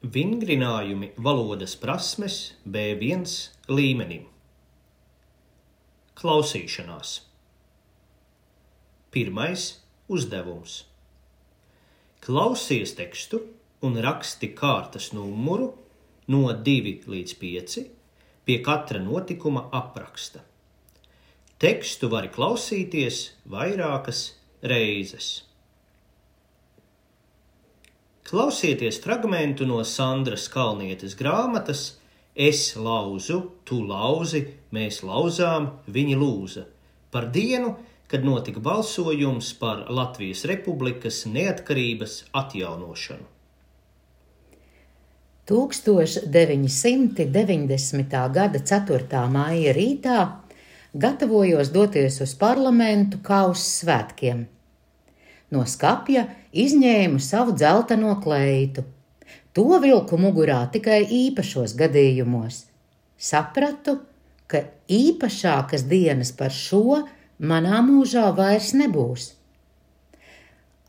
Vingrinājumi valodas prasmes B1 līmenim. Klausīšanās. Pirmais uzdevums. Klausies tekstu un raksti kārtas numuru no 2 līdz 5 pie katra notikuma apraksta. Tekstu vari klausīties vairākas reizes. Klausieties fragmentu no Sandras Kalnietes grāmatas Es lauzu, tu lauzi, mēs lauzām, viņi lūza par dienu, kad notika balsojums par Latvijas Republikas neatkarības atjaunošanu. 1990. gada 4. maija rītā gatavojos doties uz parlamentu kā uz svētkiem. No skapja izņēmu savu dzelteno kleitu. To vilku mugurā tikai īpašos gadījumos. Sapratu, ka īpašākas dienas par šo manā mūžā vairs nebūs.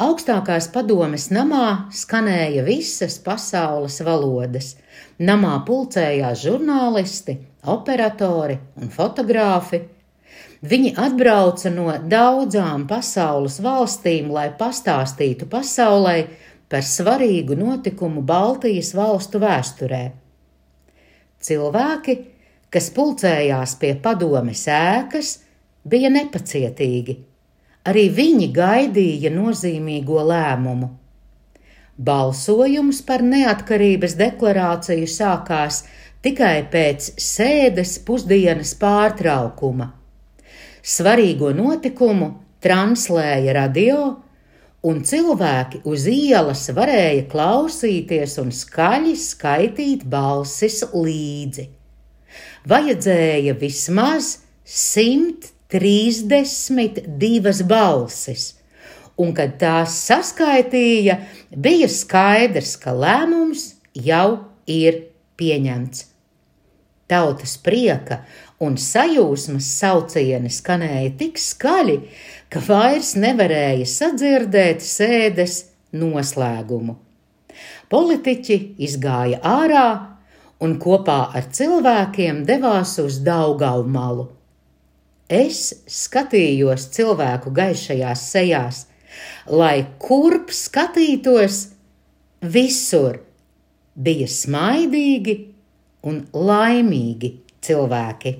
Augstākās padomes namā skanēja visas pasaules valodas. Namā pulcējās žurnālisti, operatori un fotogrāfi. Viņi atbrauca no daudzām pasaules valstīm, lai pastāstītu pasaulē par svarīgu notikumu Baltijas valstu vēsturē. Cilvēki, kas pulcējās pie padomes ēkas, bija nepacietīgi. Arī viņi gaidīja nozīmīgo lēmumu. Balsojums par neatkarības deklarāciju sākās tikai pēc sēdes pusdienas pārtraukuma. Svarīgo notikumu translēja radio, un cilvēki uz ielas varēja klausīties un skaļi skaitīt balsis līdzi. Vajadzēja vismaz 132 balsis, un kad tās saskaitīja, bija skaidrs, ka lēmums jau ir pieņemts. Tautas prieka un sajūsmas saucieni skanēja tik skaļi, ka vairs nevarēja sadzirdēt sēdes noslēgumu. Politiķi izgāja ārā un kopā ar cilvēkiem devās uz Daugavmalu. Es skatījos cilvēku gaišajās sejās, lai kurp skatītos, visur bija smaidīgi un laimīgi cilvēki.